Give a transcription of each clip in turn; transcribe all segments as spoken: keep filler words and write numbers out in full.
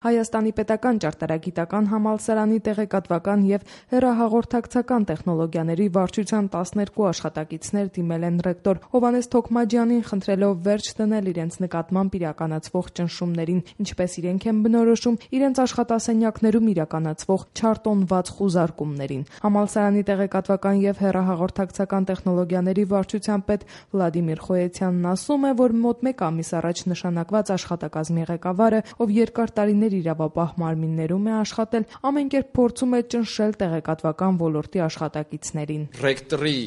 Հայաստանի պետական ճարտարագիտական համալսարանի տեղեկատվական և հեռահաղորդակցական տեխնոլոգիաների վարչության տասներկու աշխատակիցներ դիմել են ռեկտոր Հովհաննես Թոքմաջյանին, խնդրելով վերջ դնել իրենց նկատմամբ իրականացվող ճնշումներին, ինչպես իրենք են բնորոշում իրենց աշխատասենյակներում իրականացվող չարտոնված խուզարկումներին։ Համալսարանի տեղեկատվական և հեռահաղորդակցական տեխնոլոգիաների վարչության պետ Վլադիմիր Խոյեցյանն ասում է, որ մոտ մեկ ամիս առաջ նշանակված աշխատակազմի ղեկավարը, ով երկար տարիներ իրավապահ մարմիններում է աշխատել, ամեն կերպ փորձում է ճնշել տեղեկատվական ոլորտի աշխատակիցներին։ Ռեկտորի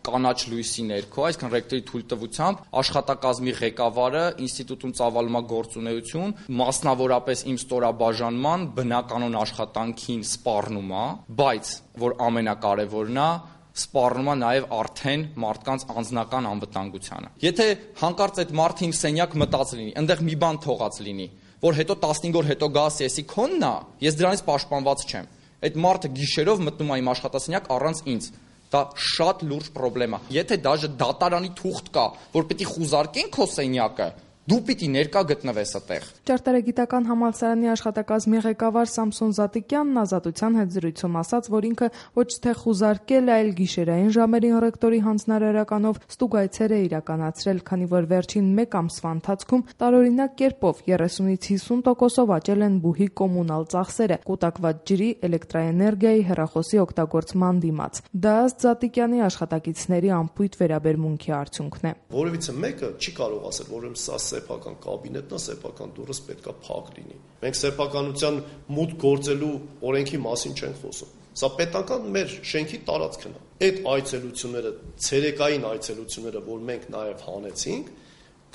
կանաչ լույսի ներքո, այսինքն ռեկտորի թույլտվությամբ աշխատակազմի ղեկավարը ինստիտուտում ծավալում է գործունեություն, մասնավորապես իմ ստորաբաժանման բնականոն աշխատանքին սպառնում է, բայց որ ամենակարևորն է, սպառնում է նաև արդեն մարդկանց անձնական անվտանգությանը։ Եթե հանկարծ այդ մարդը իմ սենյակ մտած լինի, այնտեղ մի բան թողած լինի, որ հետո տասնհինգ օր հետո գա ասի, քոնն է, ես դրանից պաշտպանված չեմ։ Այդ մարդը գիշերով մտնում է իմ աշխատասենյակ առանց ինձ։ Դա շատ լուրջ խնդրեմ է։ Եթե դաժե դատարանի թուղթ կա, որ պիտի խուզարկեն քո սենյակը, դու պիտի ներկա գտնվես այդտեղ։ Ճարտարագիտական համալսարանի աշխատակազմի ղեկավար Սամսոն Զատիկյանն ազատության հետ զրույցում ասաց, որ ինքը ոչ թե խուզարկել, այլ գիշերային ժամերին ռեկտորի հանձնարարականով ստուգայցեր է իրականացրել, քանի որ վերջին մեկ ամսվա ընթացքում տարօրինակ կերպով երեսունից հիսուն տոկոսով աճել են բուհի կոմունալ ծախսերը, կուտակված ջրի, էլեկտրաէներգիայի, հեռախոսի օգտագործման դիմաց։ Դա ըստ Զատիկյանի աշխատակիցների անփույթ վերաբերմունքի արդյունքն է։ Որևիցե մեկը չի կարող ասել, որ սա սեփական կաբինետն է, սեփական դուռս պետքա փակ լինի։ Մենք սեփականության մուտք գործելու օրենքի մասին չենք խոսում։ Սա պետական մեր շենքի տարածքն է։ Այդ այցելությունները, ցերեկային այցելությունները, որ մենք նաև հանեցինք,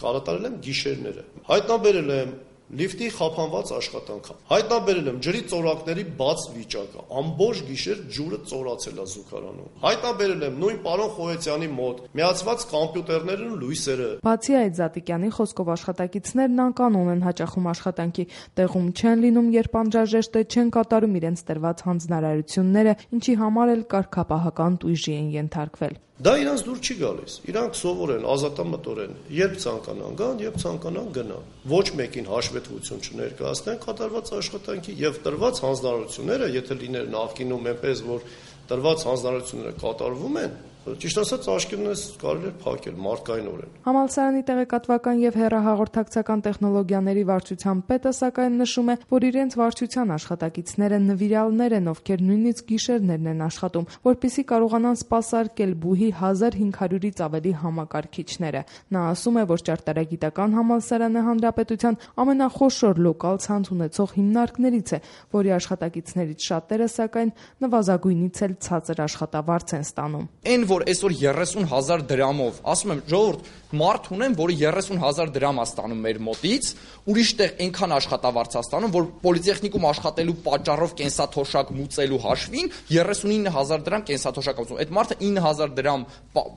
կատարել եմ գիշերները։ Հայտնաբերել եմ լիֆտի խափանված աշխատանքը։ Հայտնաբերել եմ ջրի ծորակների բաց վիճակը։ Ամբողջ գիշեր ջուրը ծորացել է զուգարանում։ Հայտնաբերել եմ նույն պարոն Խոյեցյանի մոտ միացված կոմպյուտերներն ու լույսերը։ Բացի այդ, Զատիկյանի խոսքով աշխատակիցներն անկանոն են հաճախում աշխատանքի տեղում չեն լինում, երբ անհրաժեշտ է, չեն կատարում իրենց տրված հանձնարարությունները, ինչի համար էլ կարգապահական տույժի են ենթարկվել։ Դա իրանց դուր չի գալիս։ Իրանք սովոր են, ազատամտորեն, երբ ցանկանան գան, երբ ցանկանան գնան։ Ոչ մեկին հաշվետվություն չներկայացնեն կատարված աշխատանքի եւ տրված հանձնարարությունները, եթե լիներ նախկինում այնպես, որ տրված հանձնարարությունները կատարվում են, ճիշտ ասած աշկերտներս կարելի է փակել մարդկայնորեն։ Համալսարանի տեղեկատվական եւ հեռահաղորդակցական տեխնոլոգիաների վարչության պետը սակայն նշում է, որ իրենց վարչության աշխատակիցները նվիրալներ են, ովքեր նույնիսկ գիշերներն են աշխատում, որպեսզի կարողանան սպասարկել բուհի հազար հինգ հարյուրից ավելի համակարգիչները։ Նա ասում է, որ ճարտարագիտական համալսարանը հանրապետության ամենախոշոր լոկալ ցանց ունեցող հիմնարկներից է, որի աշխատակիցներից շատերը սակայն նվազագույնից էլ ցածր աշխատավարձ են ստանում։ Այն որ այսօր երեսուն հազար դրամով, ասում եմ, ժողովուրդ, մարդ ունեմ, որը երեսուն հազար դրամ է ստանում մեր մոտից, ուրիշ տեղ այնքան աշխատավարձ է ստանում, որ պոլիտեխնիկում աշխատելու պատճառով կենսաթոշակ մուծելու հաշվին երեսունինը հազար դրամ կենսաթոշակ մուծում։ Այդ մարդը ինը հազար դրամ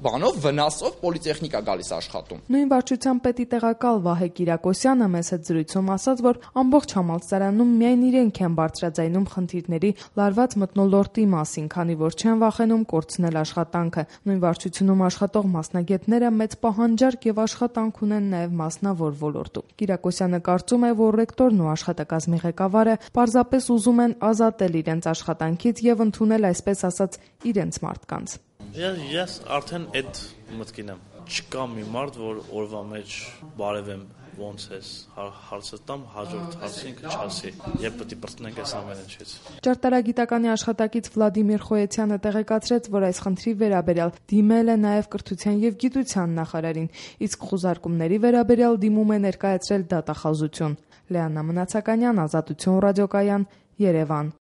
բանով վնասով պոլիտեխնիկա գալիս աշխատում։ Նույն վարչության պետի տեղակալ Վահե Կիրակոսյանը մեծ հետ զրույցում ասաց, որ ամբողջ համալսարանում միայն իրենք են բարձրաձայնում խնդիրների լարված մթնոլորտի մասին, քանի որ չեն վախենում կորցնել աշխատանքը։ Նույն վարչությունում աշխատող մասնագետները մեծ պահանջարկ եւ աշխատանք ունեն նաեւ մասնավոր ոլորտում։ Կիրակոսյանը կարծում է, որ ռեկտորն ու աշխատակազմի ղեկավարը պարզապես ուզում են ազատել իրենց աշխատանքից եւ ընդունել, այսպես ասած, իրենց մարդկանց։ Ես արդեն այդ մտքին եմ։ Չկա մի մարդ, որ օրվա մեջ բարևեմ ոնց ես հարցը տամ, հաջորդ հարցին կչասի, երբ պետք է բրտնենք այս ամեն ինչից։ Ճարտարագիտականի աշխատակից Վլադիմիր Խոյեցյանը տեղեկացրեց, որ այս խնդրի վերաբերյալ դիմել է նաև կրթության եւ գիտության նախարարին, իսկ խուզարկումների վերաբերյալ դիմում է ներկայացրել դատախազություն։ Լեանա Մնացականյան, Ազատություն ռադիոկայան, Երևան։